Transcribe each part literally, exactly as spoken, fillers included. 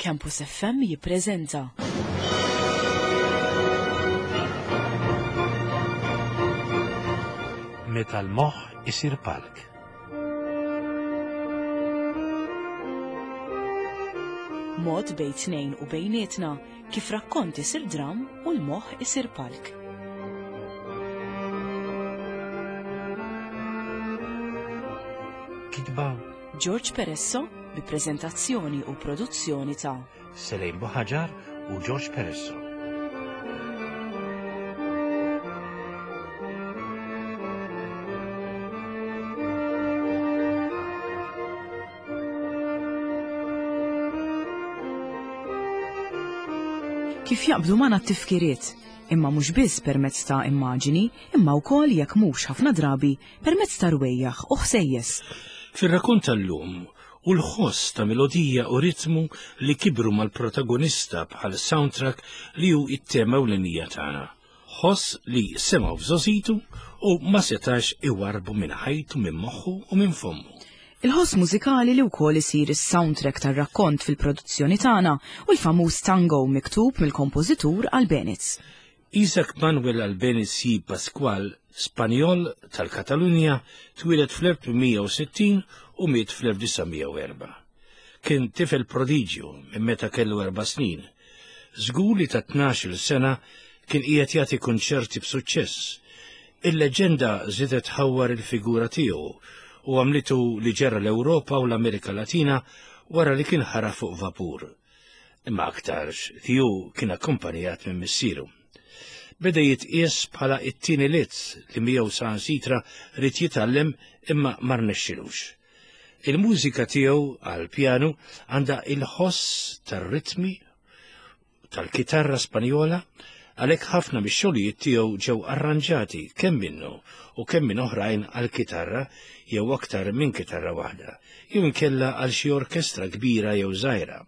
Campus F M jippreżenta Meta l-moħħ isir palk. Mod bejn tnejn u bejnietna kif rakkont isir dram u l-moħħ isir palk. Kitba George Peresso bi preżentazzjoni u produzzjoni ta' Selejn Buħaġar u George Peresso. Kif jaqbdu magħna t-tifkiriet, imma mhux biss permezz ta' immaġini, imma wkoll jekk mhux ħafna drabi permezz ta' rwejjaħ u ħsejjes. Fir-rakkont tal-lum u l-ħoss ta' melodija u ritmu li kibru mal-protagonista bħal soundtrack li hu it-tema ewlenija tagħna. Ħoss li semgħu f'żożitu u ma setax iwarbu minn ħajtu, minn moħħu u minn fommu. Il-ħoss mużikali li wkoll isir is-soundtrack tar-rakkont fil-produzzjoni tagħna u l-famuż tango miktub mill-kompożitur Albéniz. Isaac Manuel Albéniz y Pascual, Spanjol tal-Katalunja, twieled fl-elf tmien mija u sittin u miet fl-elf disa' mija u erba'. Kien tifel prodiġju minn meta kellu erba' snin. Żgur li ta' tnax-il sena kien qiegħed jagħti kunċerti b'suċċess. Il-leġenda żiedet ħawwar il-figura tiegħu u għamlitu li ġera l-Ewropa u l-Amerika Latina wara li kien ħara fuq vapur. Imma aktarx tiegħu kien akkumpanjat minn missieru. Beda jitqies bħala it-tieni lizz li miegħu saħansitra ried jitgħallem imma ma rnexxilux. Il-mużika tiegħu għall-pjanu għandha il-ħoss tar-ritmi tal-kitarra Spanjola, għalhekk ħafna mix-xogħlijiet tiegħu ġew arranġati kemm minnu u kemm minn oħrajn għall-kitarra jew aktar minn kitarra waħda, jew inkella għal xi orkestra kbira jew żgħira.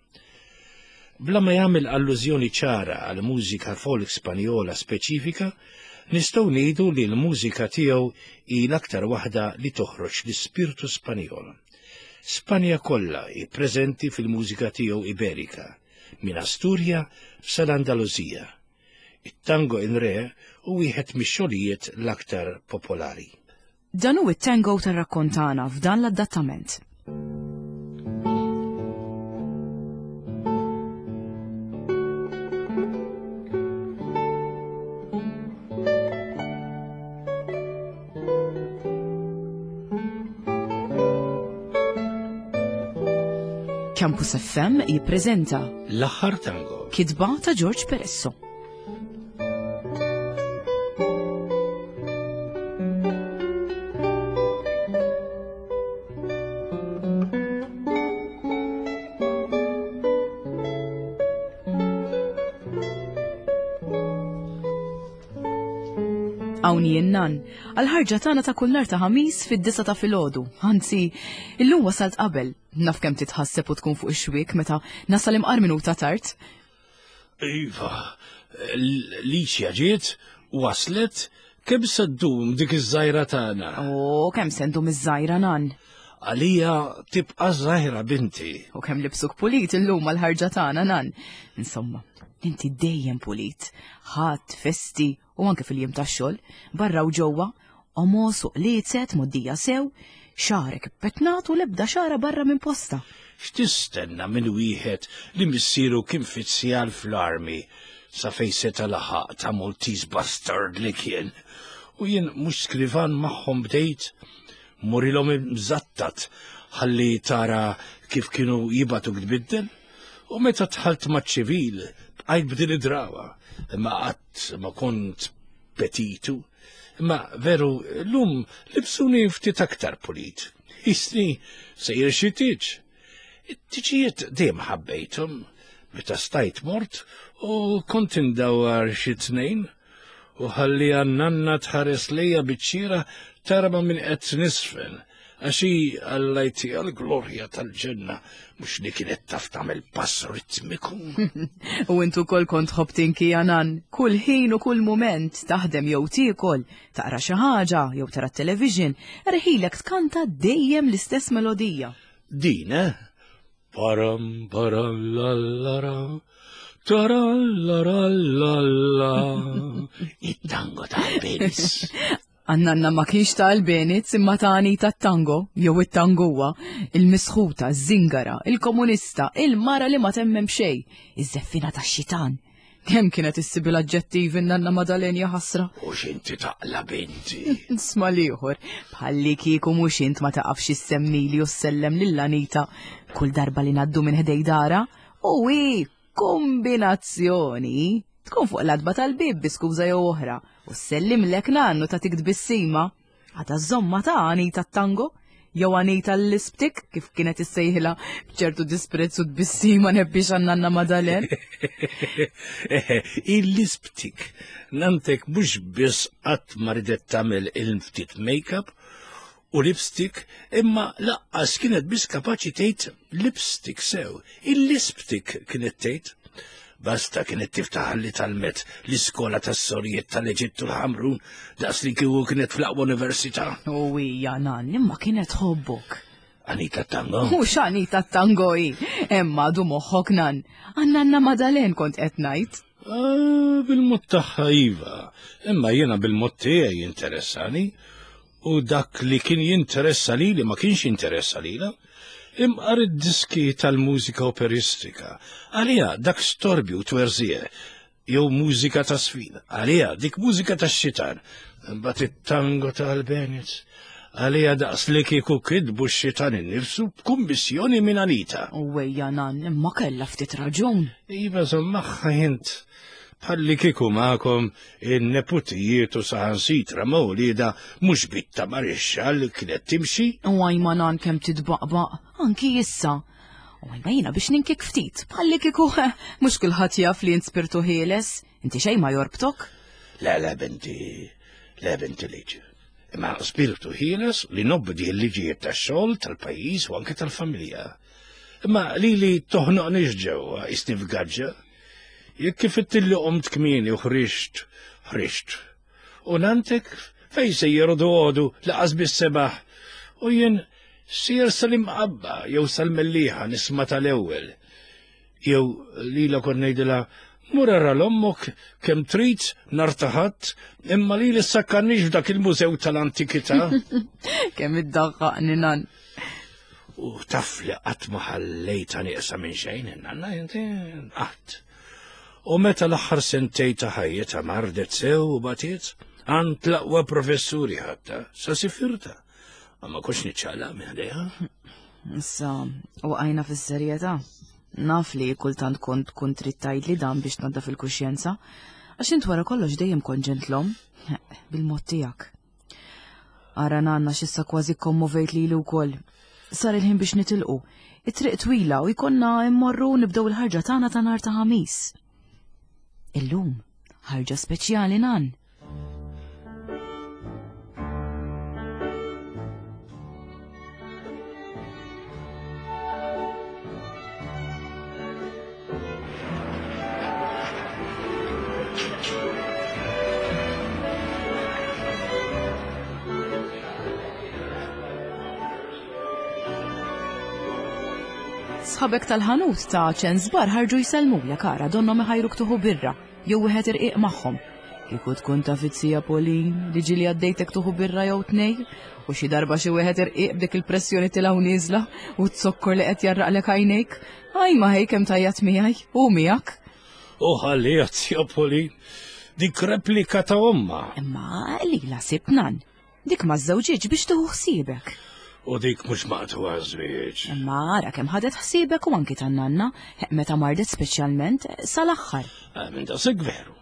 Bla ma jagħmel allużjoni ċara għal mużika folk Spanjola speċifika, nistgħu ngħidu li l-mużika tiegħu hi l-aktar waħda li toħroġ l-ispirtu Spanjol. Spanja kollha hi preżenti fil-mużika tiegħu Iberika, minn Asturja sal-Andalusija. It-tango in re hu wieħed mix-xogħlijiet l-aktar popolari. Dan hu it-tango tar-rakkontana f'dan l-adattament. Campus F M jippreżenta L-aħħar tango, kitba ta' George Peresso. Hawn jien nan, għal-ħarġa tagħna ta' kull nhar ta' ħamis fid-disa ta' filgħodu. Anzi, illum wasalt qabel. Naf kemm titħasseb u tkun fuq ix-xwiek meta nasal imqar minuta tard. Iva, Licia ġiet, waslet, kemm se ddum dik iż-żgħira tagħna? O, kemm se ndum iż-żgħira nan? Għalija tibqa' żgħira binti. U kemm libsuk pulit illum għall-ħarġa tagħna nan. Insomma, inti dejjem pulit. Ħadd, festi u anke fil-jiem tax-xogħol, barra u ġewwa, omos u qliezet moddija sew, xagħrek ippetnat u l-ebda xagħra barra minn posta. X'tistenna minn wieħed li missieru kien fizzjal fl-armi sa fejn seta' laħaq ta' Maltese bastard li kien. U jien mhux skrivan magħhom bdejt, murilhom imżattat ħalli tara kif kienu jibgħatuk tbiddel. U meta dħalt maċ-ċivil bqajt b'din id-drawa, imma qatt ma kont petitu. Imma veru llum libsuni ftit aktar pulit. Isni sejjer xi tieġ. It-tiġijiet dejjem ħabbejthom, meta stajt mort u kont indawwar xi tnejn u ħalli għan-nanna tħares lejja biċ-ċira tara ma' min qed nisfen, għax hi Alla jtiha l-glorja tal-ġenna, mhux li kienet taf tagħmel pass ritmiku. U intu wkoll kont tħobb tinki għanan, kull ħin u kull mument taħdem jew tiekol, taqra xi ħaġa jew tara t-television, erħilek tkanta dejjem l-istess melodija. Din, eh? Param param la la la, tarallarallalla. It-tango ta' Albeniz. Għannanna ma kienx ta' Albeniz imma ta' Anita tango, jew it-tangowa, il-misħuta, iż-żingara, il-komunista, il-mara li ma temmem xej, iż-żeffina ta' xitan. Kemm kienet issib l-aġġettivi nanna Madalen ħasra. U x'inti taqla binti. Sma liħor, bħalli kieku mhux int ma taqafx issemmili u ssellem lil Anita kull darba li ngħaddu minn ħdej dara. U hi kombinazzjoni tkun fuq l-adba tal-bib bi skuża jew oħra u ssellimlek nannu ta' tik tbissima. Għada żomma ta' Anita tango jew Anita l-isptik kif kienet issejħilha b'ċertu disprezz u tbissima nebbix għan-nanna Madalen. Il-isptik, nantek mhux biss qatt ma ridet tagħmel il-ftit make-up u lipstick, imma laqqas kienet biss kapaċi tgħid lipstick sew. Il-lipstick kienet tgħid. Basta kienet tiftaħ li talmet l-iskola tas-sorijiet tal-Eġittu l-Ħamrun daqs li kieku kienet fl-aqwa università. U hija nan, imma kienet tħobbok. Anita tango? Mhux Anita tango hi, imma du moħħok nan. Għannanna Madalen kont qed ngħid. Ah, bil-mod tagħha iva, imma jiena bil-mod tiegħi jinteressani u dak li kien jinteressa lili ma kienx jinteressa lilha. Imqar id-diski tal-mużika operistika. Għalija dak storbju twerzije, jew mużika ta' sfida. Għalija dik mużika ta' xitan. Imbagħad it-tango ta' Albeniz. Għalija daqs li kieku kidbu x-xitan innifsu b'kummissjoni minn Anita. U ejja nan, imma kellha ftit raġun. Iva żomm int. Bħalli kieku magħkom in-neputijiet u saħansitra ma' wliedha mhux bitta marixxa li kienet timxi. U għajma nan kemm titbaqbaq, anki issa. U għajma jiena biex ninkik ftit, bħalli kieku mhux kulħadd jaf li int spirtu ħieles, inti xejn ma jorbtok. Le, le, binti, le, binti liġi. Imma spirtu ħieles li nobdi l-liġijiet tax-xogħol, tal-pajjiż u anke tal-familja. Imma li li toħnoqnix ġewwa isni f'gaġġa. Jekk kif ittilli qomt kmieni u ħriġt, ħriġt. U nantek fej sejjer u għodu laqas bis-sebaħ. U jien sejjer sal-imqabba jew sal-mellieħa nisma' tal-ewwel. Jew lila kont ngħidilha mur ara l-ommok kemm trid nhar ta' Ħadd, imma li ssakkarnix f'dak il-mużew tal-antikità. Kemm iddaħħaqni nan. U taf li qatt ma ħallejtha nieqsa minn xejn, nanna inti qatt. U meta l-aħħar sentej ta' ħajjitha mardet sew u batiet, għand l-aqwa professuri ħatta, sa sifirta. Ma kontx niċċaqlaq minn ħdejha. Issa, waqajna fis-serjetà. Naf li kultant kont kont trid tgħidli dan biex tnaddaf il-kuxjenza, għax int wara kollox dejjem kont ġentlom, bil-mod tiegħek. Ara nanna x'issa kważi kommovejt lili wkoll. Sar il-ħin biex nitilqu. It-triq twila u jkollna immorru nibdew il-ħarġa tagħna ta' nhar ta' Ħamis. Illum, ħarġa speċjali nan. Sħabek tal-ħanut ta' ċensbar ħarġu jsellmulek ara donhom iħajruk tuħu birra jew wieħed irqiq magħhom. Kieku tkun taf it-sija Pauline li ġieli għaddejtek tuħu birra jew tnej u xi darba xi wieħed irqiq b'dik il-pressjoni tilgħu nieżla u t-zokkor li qed jarraqlek għajnejk. Aj ma ħej kemm tajjat miegħi u miegħek. U ħalliha sija Pauline dik replika ta' omma. Imma lila sibt nan. Dik ma żewġiġ biex tuħu ħsiebek. U dik mhux maqtuha żwieġ. Imma ara kemm ħadet ħsiebek u anki tan-nanna, meta mardet speċjalment sal-aħħar. Ah, minn daqshekk veru.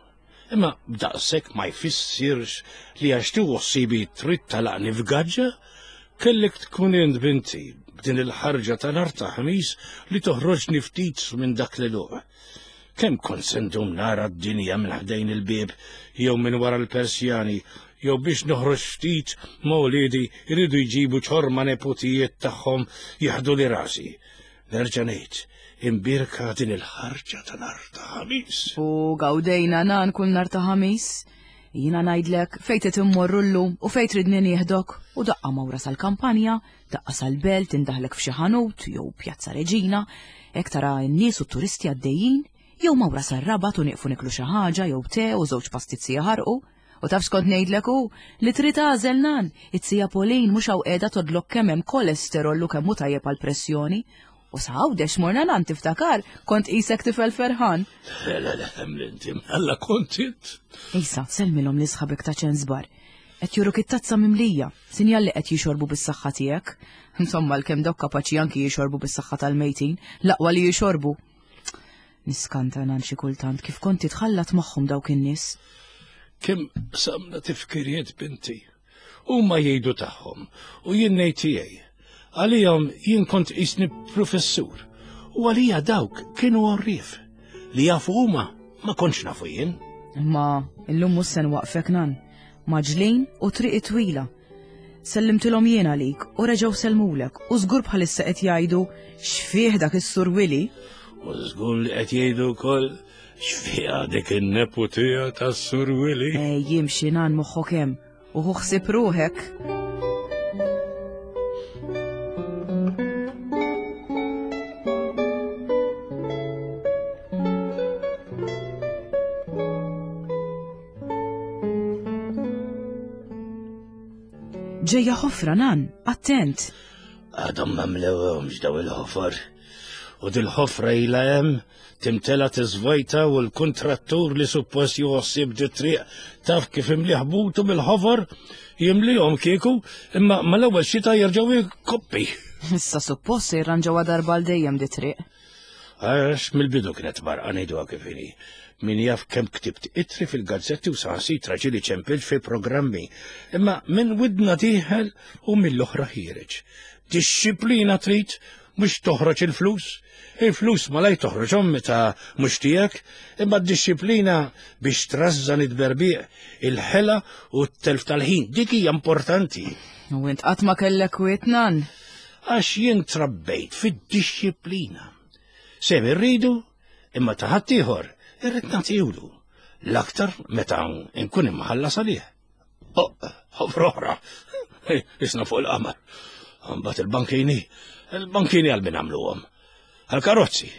Imma b'daqshekk ma jfissirx li għax tieħu ħsiebi trid talaqni f'gaġġa, kellek tkun int binti b'din il-ħarġa ta' nhar ta' Ħamis li toħroġni ftit minn dak l-għeluq. Kemm kont se ndum nara d-dinja minn ħdejn il-bieb jew minn wara l-Persjani jew biex noħroġ ftit ma' wliedi jridu jġibu ċorma neputijiet tagħhom jaħdu li rasi. Nerġa' ngħid, imbierka din il-ħarġa ta' nhar ta' Ħamis. U gawdejna nan kull nhar ta' Ħamis. Jiena ngħidlek fejn trid immorru llum u fejn tridni nieħdok u daqqa mawra sal-kampanja, daqqa sal-belt indaħlek f'xi ħanut jew Pjazza Reġina, hekk tara n-nies u t-turisti għaddejjin, jew mawra sar-Rabat u nieqfu niklu xi ħaġa jew te u żewġ pastizzi jaħarqu. U taf x'kont ngħidlek hu li trid tagħżel nan, it-sija Pauline mhux hawn qiegħda todlok kemm hemm kolesterol u kemm hu tajjeb għall-pressjoni. U sa Għawdex morna nan tiftakar, kont qisek tifel ferħan. Le, le, le, l-inti, alla kontit. Isa, sellmilhom li sħabek ta' ċensbar. Qed juruk it-tazza mimlija, sinjal li qed jixorbu bis-saħħa tiegħek. Insomma, l-kemm dawk kapaċi anki jixorbu bis-saħħa tal-mejtin, l-aqwa li jixorbu. Niskanta nan xi kultant kif kont titħallat magħhom dawk in-nies. Kemm samna tifkiriet binti. Huma jgħidu tagħhom u jien ngħid tiegħi. Għalihom jien kont qisni professur u għalija dawk kienu għorrief. Li jafu huma ma kontx nafu jien. Imma illum mhux se nwaqfek nan. Maġlin u triq twila. Sellimtilhom jien għalik u reġgħu sellmulek u żgur bħalissa qed jgħidu x'fih dak is-Sur Willy. U żgur li qed jgħidu wkoll x'fiha dik in-neputija tas-Sur Willy. Ej, jimxi nan moħħok hemm u ħu ħsieb ruħek. Ġejja ħofra nan, attent. Għadhom ma mlewhomx daw il-ħofor. U dil-ħofra ilha hemm timtela tiżvojta u l-kuntrattur li suppost juħossib di triq taf kif imliħ butu bil-ħofor jimlihom kieku imma mal-ewwel xita jerġgħu jkoppi. Issa suppost se jirranġawha darba għal dejjem di triq. Għax mill-bidu kienet barqa ngħiduha kif inhi. Min jaf kemm ktibt itri fil-gazzetti u saħansitra ġieli ċempilt fi programmi. Imma minn widna dieħel u mill-oħra ħiereġ. Dixxiplina trid mhux toħroġ il-flus. Il-flus malaj toħroġhom meta mhux tiegħek, imma d-dixxiplina biex trażżan id-berbiq, il-ħela u t-telf tal-ħin, dik hija importanti. U int qatt ma kellek kwiet nan. Għax jien trabbejt fid-dixxiplina. Sem irridu, imma ta' ħaddieħor irrid nagħtihulu. L-aktar meta nkun imħallas għalih. Oh, ħofra oħra. Isna fuq il-qamar. Mbagħad il-bankini, il-bankini għal min għamluhom. Għal-karozzi.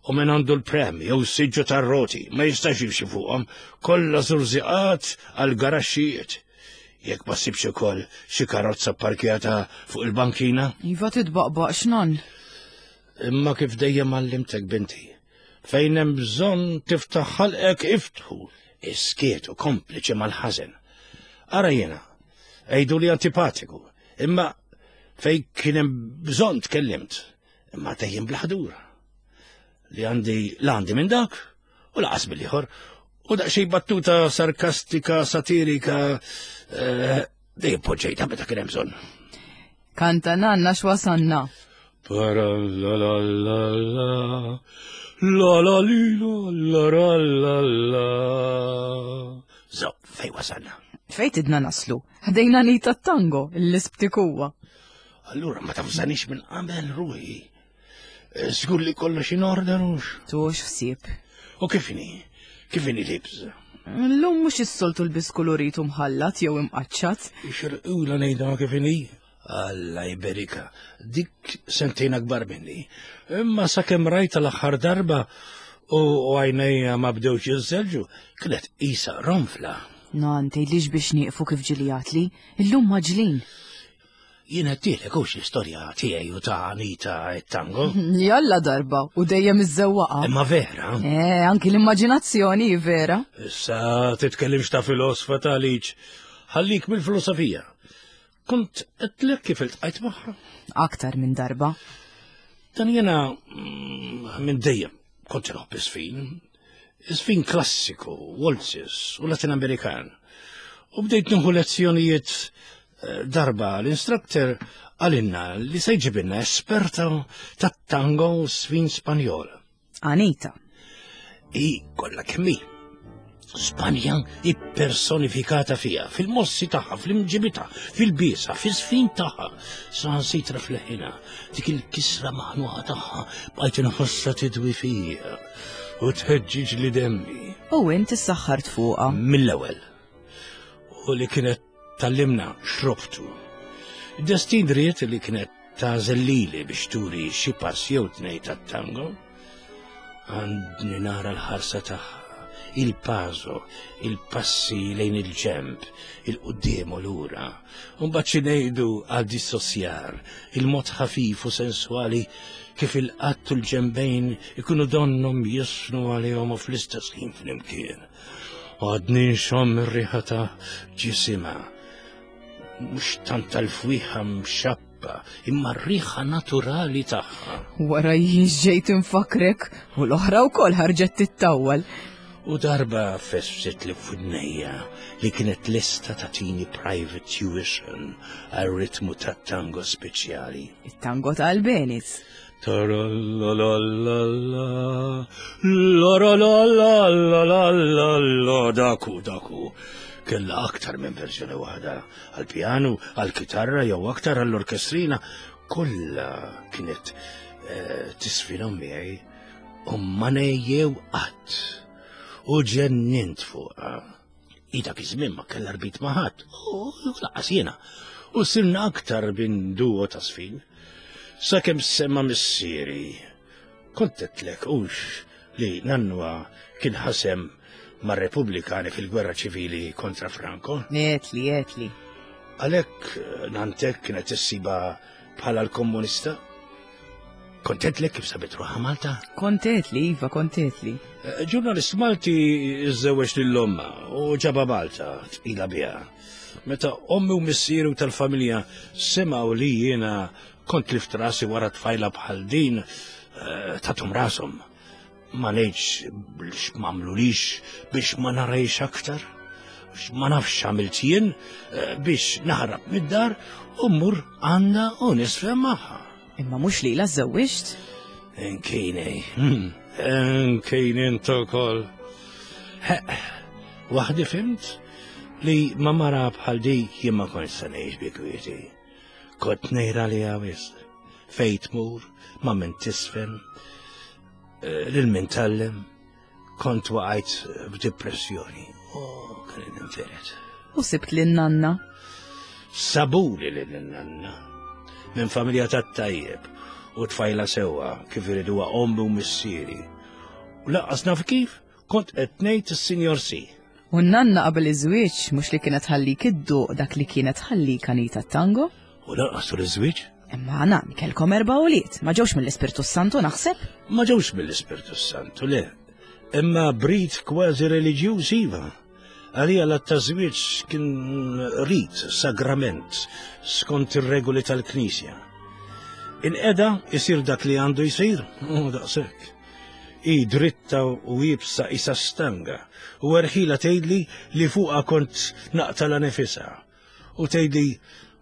U min għandu l-prem jew s-siġġu tar-roti ma jistax jimxi fuqhom, kollha żurżiqat għal garaxxijiet. Jekk ma ssibx ukoll xi karozza pparkjata fuq il-bankina. Iva titbaqbaqx nan. Imma kif dejjem għallimtek binti, fejn hemm bżonn tiftaħ ħalqek iftħu, iskiet u kompliċi mal-ħażen. Ara jiena, għidu li antipatiku, imma fejn kien hemm bżonn tkellimt, imma dejjem bla ħdura. Li għandi l-għandi minn dak u laqas bil-ieħor, u daqsxejn battuta sarkastika, satirika, eh, dejjem poġġejta meta kien hemm bżonn. Kanta nanna x'wasanna. Para la la la la la la li la la la la la. Zo, fej wasanna? Fej tidna naslu? Ħdejna Anita tango, l-isptikuwa. Allura ma tafżanix minn qabel ruħi. Żgur li kollox in order hux. Tux ħsieb. U kif inhi? Kif inhi libs? Llum mhux is-soltu lbis kolorit u mħallat jew imqaċċat. Ixirqula ngħidha kif inhi? Alla jberika, dik sentejn akbar minni. Imma sakemm rajta l-aħħar darba u għajnejja ma bdewx jiżżelġu, kienet qisha ronfla. Nan, tgħidlix biex nieqfu kif ġilijatli, illum maġlin. Jien għedtilek hux l-istorja tiegħi u ta' Anita et-tango. Jalla darba u dejjem iż-żewwaqa. Imma vera. Eh, anki l-immaġinazzjoni hi vera. Issa titkellimx ta' filosfa ta' liċ. Ħallik mill-filosofija. Kont għedtlek kif iltqajt magħha. Aktar minn darba. Dan jiena mm, minn dejjem kont inħobb iż-żfin. Iż-żfin klassiku, waltzes u Latin Amerikan. U bdejt nieħu lezzjonijiet eh, darba l-instructor għalinna li se jġibilna esperta tat-tango u żfin Spanjol. Anita. I kollha kemm hi. Spanja ippersonifikata fija, fil-mossi tagħha, fl-imġibita, fil-biesa, fil-sfin tagħha. Saħansitra fl-ħina, dik il-kisra maħnuqa tagħha bqajt inħossha tidwi fija. u tħeġġiġ li demmi. U int issaħħart fuqha. Mill-ewwel. U li kienet tallimna xrobtu. Destin ried li kienet tagħżel lili biex turi xi pass jew tnejn tat-tango. Għandni nara l-ħarsa tagħha, il-paso, il-passi lejn il-ġemb, il-qudiem u lura. Mbagħad xi ngħidu għal dissosjar, il-mod ħafif u sensuali kif il-qatt u l-ġembejn ikunu donnhom jisnu għalihom u fl-istess ħin flimkien. Għadni nxomm ir-riħa ta' ġisimha. Mhux tant tal-fwieħa mxappa, imma r-riħa naturali tagħha. Wara jien ġejt infakrek u l-oħra wkoll ħarġet tittawwal. U darba fesfset li f'widnejja li kienet lesta tagħtini private tuition għal ritmu ta' tango speċjali. It-tango ta' Albeniz. Taralalalala, laralalalala, daku, daku. Kella aktar minn verżjoni waħda, għal-pjanu, għal-kitarra jew aktar għall-orkestrina. Kollha kienet eh, tisfinhom miegħi u ma nejjew qatt. U ġennint fuqha. I dak iż-żmien ma kellha rbit ma' ħadd, u lanqas jiena. U sirna aktar bin duo ta' sfin. Sakemm semma missieri. Kont għedtlek hux li nannwa kien ħasem mar-Repubblikani fil-gwerra ċivili kontra Franco. Għedtli, għedtli. Għalhekk nantek kienet issiba bħala l-komunista. Kont għedtlek kif sabet ruħha Malta? Kont għedtli, Iva, kont għedtli. Eh, Ġurnalist Malti iżżewweġ lil ommha u ġabha Malta tqila biha. Meta ommi u missieri u tal-familja semgħu li jiena kont tlift rasi wara tfajla bħal din, eh, tathom rashom. Ma ngħidx biex m'għamlulix biex ma narajx aktar. Ma nafx għamilt jien eh, biex naħrab mid-dar u mmur għandha u nisfem magħha. Imma mhux lilha żżewwiġt? Inkini, inkini int ukoll. Waħdi fhimt li ma mara bħal dik jien ma kontx se ngħix bi kwieti. Kont ngħir għaliha wisq. Fejn tmur, ma' min tisfen, eh, lil min tallem, kont waqajt b'depressjoni. Oh, kien ninfired. U sibt lil nanna. Sabuli lil nanna. Minn familja tat-tajjeb u tfajla sewwa kif iriduha ommi u missieri. U lanqas naf kif kont qed ngħid is-Sinjor Si. U n-nanna qabel iż-żwieġ mhux li kienet ħallik idduq dak li kienet ħallik Anita tango? U lanqas tul iż-żwieġ Imma nan, kelkom erba' ulied, ma ġewx mill-Ispirtu Santu naħseb? ma ġewx mill-Ispirtu Santu, le. Imma b'rit kważi reliġjuż iva. Għalija l-tażwieġ kien rit, sagrament, skont ir-regoli tal-Knisja. Il-qeda isir dak li għandu jisir, u daqshekk. I dritta u iebsa isa stanga, u erħila tgħidli li fuqha kont naqtala nifisha. U tgħidli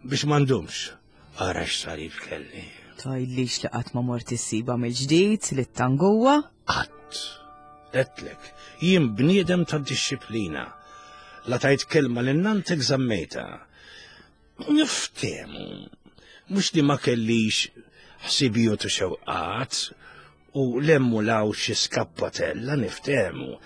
biex m'għandhomx. Ara x'salib kelli. Tgħidlix li qatt ma mort issiba mill-ġdid li t-tanguwa? Qatt. Għedtlek, jien bniedem ta' disċiplina. La tajt kelma lil nantek żammejtha. Niftehmu. Mhux li ma kellix ħsibijiet u xewqat u lemmu law xi skappatella niftehmu.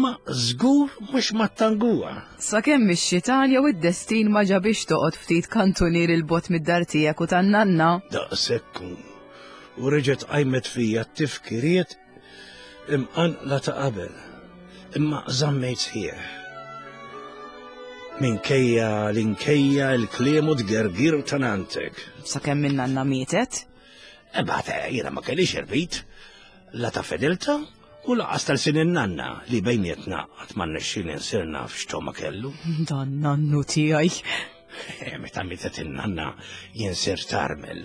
Ma żgur mhux mat-tanguwa. Sakemm ix-xitan jew id-destin ma ġabix toqgħod ftit kantunier il-bogħod mid-dar tiegħek u tan-nanna. Daqshekk u reġgħet qajmet fija t-tifkiriet imqanqla ta' qabel. Imma żammejt sħiħ. Minkejja l-inkejja il-kliem u tgergir ta' nantek. Sakemm in-nanna mietet? Ebata, jiena ma kellix irbit. La ta' fedelta u lanqas tal sin nanna li bejnietna qatt ma rnexxieli nsir naf x'togħma kellu. Dan nannu tiegħi. Eh, Meta mietet in-nanna jien sirt armel.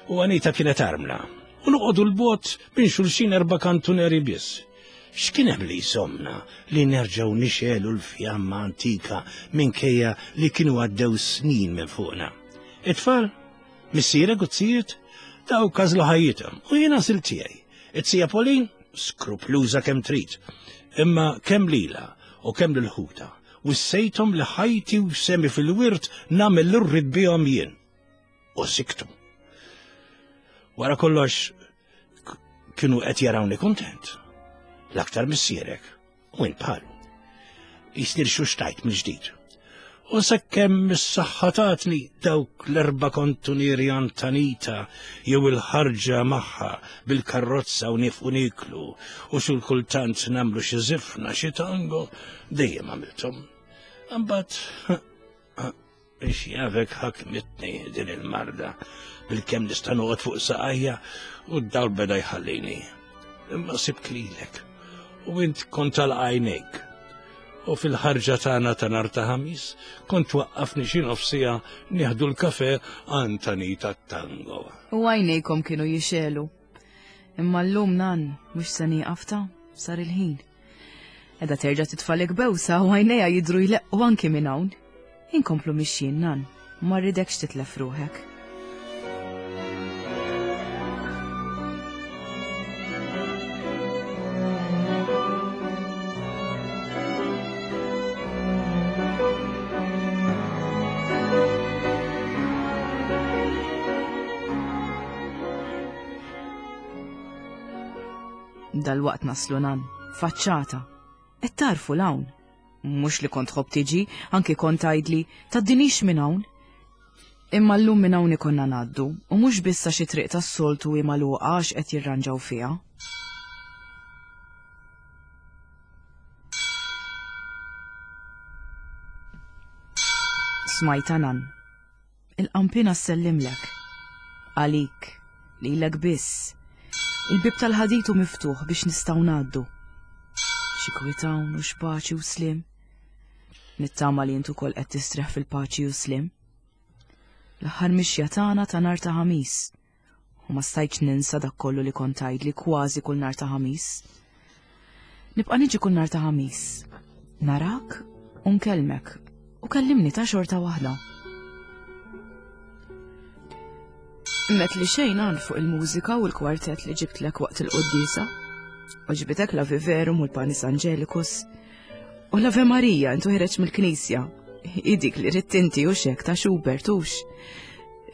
U Anita kienet armla. U noqogħdu 'l bogħod minn xulxin erba' kantuneri biss. X'kien hemm li jżommna li nerġgħu nixegħlu l-fjamma antika minkejja li kienu għaddew snin minn fuqna. It-tfal, missierek u z-zijiet, dawk għażlu ħajjithom u jiena għażilt tiegħi. It-zija Pauline, skrupluża kemm trid, imma kemm lila u kemm lil ħutha, wissejthom li ħajti u sehmi fil-wirt nagħmel li rrid bihom jien. U siktu. Wara kollox kienu qed jarawni kontent. L-aktar missierek, u int bħalu. Jisnir xuxtajt mill-ġdid. U sakemm is-saħħa tatni dawk l-erba' kontunieri Antanita jew il-ħarġa magħha bil-karrozza u nifqu niklu u xi kultant nagħmlu xi żifna xi tango, dejjem għamilthom. Imbagħad biex jafek ħakmitni din il-marda bil-kemm nista' noqgħod fuq saqajja u d-dawl beda jħallini. Imma sibt lilek u int kont tal-għajnejk. U fil-ħarġa tagħna ta' nhar ta' Ħamis kont waqqafni xi nofsija nieħdu l-kafe Antanita tango. U għajnejkom kienu jixelu. Imma llum nan mhux se nieqaf ta' sar il-ħin. Edha terġa' titfalek bewsa u għajnejha jidhru jleqqu anki minn hawn. Inkomplu mixjin nan, ma rridekx titlef ruħek. Dal-waqt naslu nan, faċċata. Et tarfu l-hawn. Mhux li kont tħobb tiġi, anki kont tgħidli tgħaddinix minn hawn. Imma llum minn hawn ikonna ngħaddu, u mhux biss għax it-triq tas-soltu hi magħluqa għax qed jirranġaw fiha. Smajta nan. Il-qampina ssellimlek. Għalik, lilek biss. Il-bib tal-ħaditu miftuħ biex nistgħu ngħaddu. Xi kwiet hawn u x'paċi u slim. Nittama li int ukoll qed tistrieħ fil-paċi u slim. L-aħħar mixja tagħna ta' nhar ta' Ħamis. U ma stajtx ninsa dak kollu li kont tgħidli kważi kull nhar ta' Ħamis. Nibqa' niġi kull nhar ta' Ħamis. Narak u nkellmek u kellimni ta' xorta waħda. Met li xejn għan fuq il-mużika u l-kwartet li ġibtlek waqt il-quddiesa. U ġbitek la Viverum u l-Panis Angelicus. U l-Ave Maria intu ħireġ mill-knisja. Idik li ridt inti u xek ta' Schubert hux.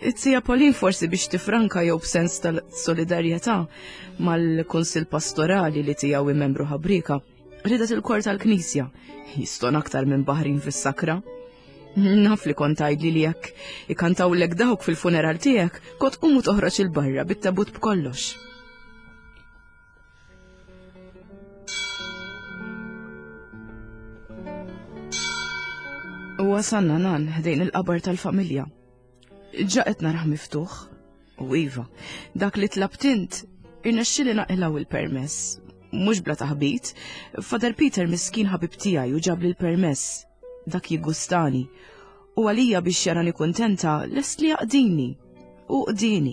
It-sija Pauline forsi biex tifranka jew b'sens tal-solidarjetà mal-Kunsill Pastorali li tiegħu membru ħabrika. Ridet il-kor tal-knisja. Jiston aktar minn baħrin fis-sakra. Naf li kont tgħidli li jekk ikantawlek dawk fil-funeral tiegħek, kont qumu toħroġ il-barra bit-tabut b'kollox. U wasalna nan ħdejn il-qabar tal-familja. Ġa qed narah miftuħ. U iva, dak li tlabt int irnexxieli naqilgħu il-permess. Mhux bla taħbit, Father Peter miskin ħabib tiegħi u ġabli l-permess. Dak jiggustani. U għalija biex jarani kuntenta lest li jaqdini. U qdini.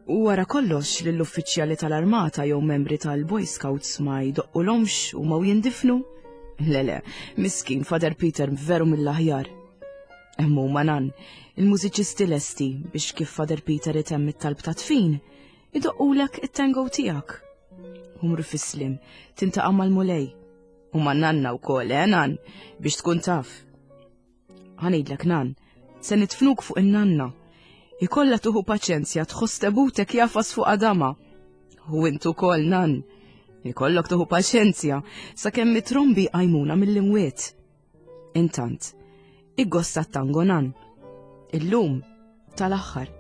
U wara kollox lill-uffiċjali tal-armata jew membri tal-Boy Scouts ma jdoqqulhomx u ma jindifnu. Le le, miskin Father Peter veru mill-aħjar. Hemm huma nan, il-mużiċisti lesti biex kif Father Peter itemm it-talb ta' tfin, idoqqulek it-tango tiegħek. Umru fis-slim, tintaqa' mal-Mulej. U ma' nanna wkoll, eh nan, biex tkun taf. Ħanejdlek nan, se nitfnuk fuq in-nanna. Ikolla tuħu paċenzja tħoss tebutek jafas fuq adama. U int ukoll nan, ikollok tuħu paċenzja sakemm it-trombi għajmuna mill-imwiet. Intant, iggosta t-tango nan. Illum tal-aħħar.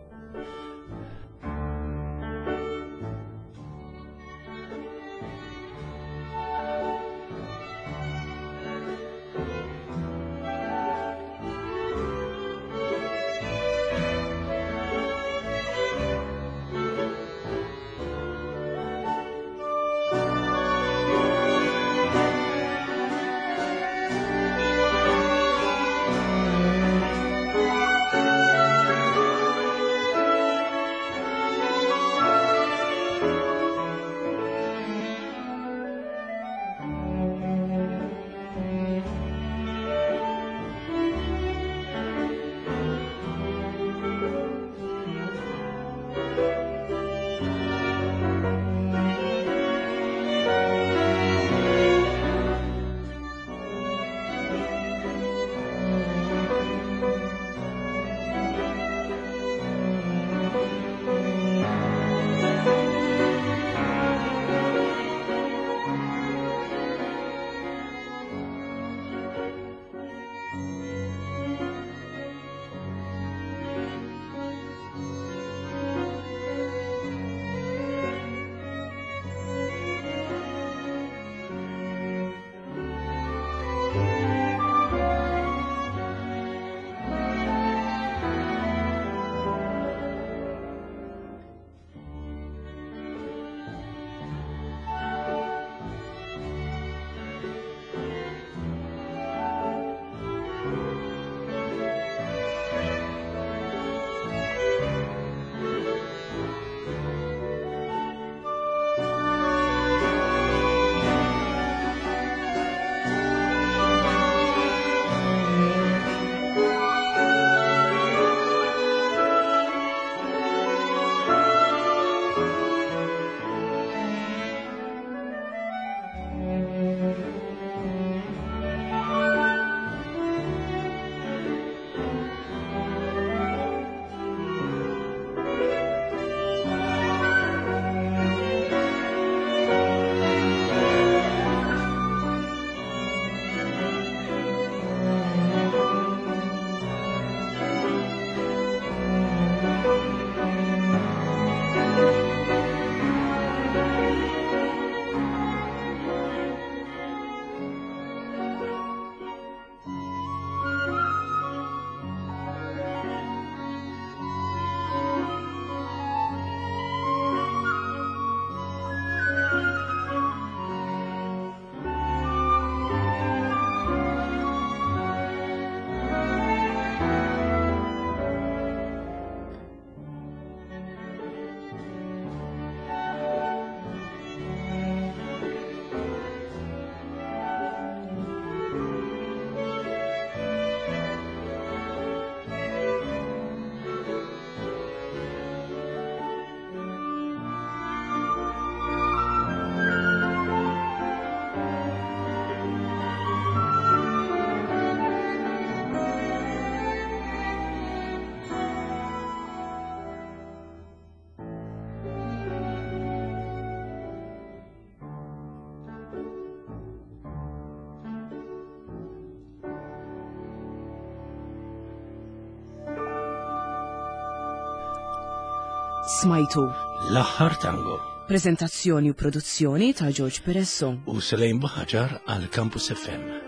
Smajtu. L-aħħar tango. Prezentazzjoni u produzzjoni ta' George Peresso. U Selejn Buħaġar għal Campus F M.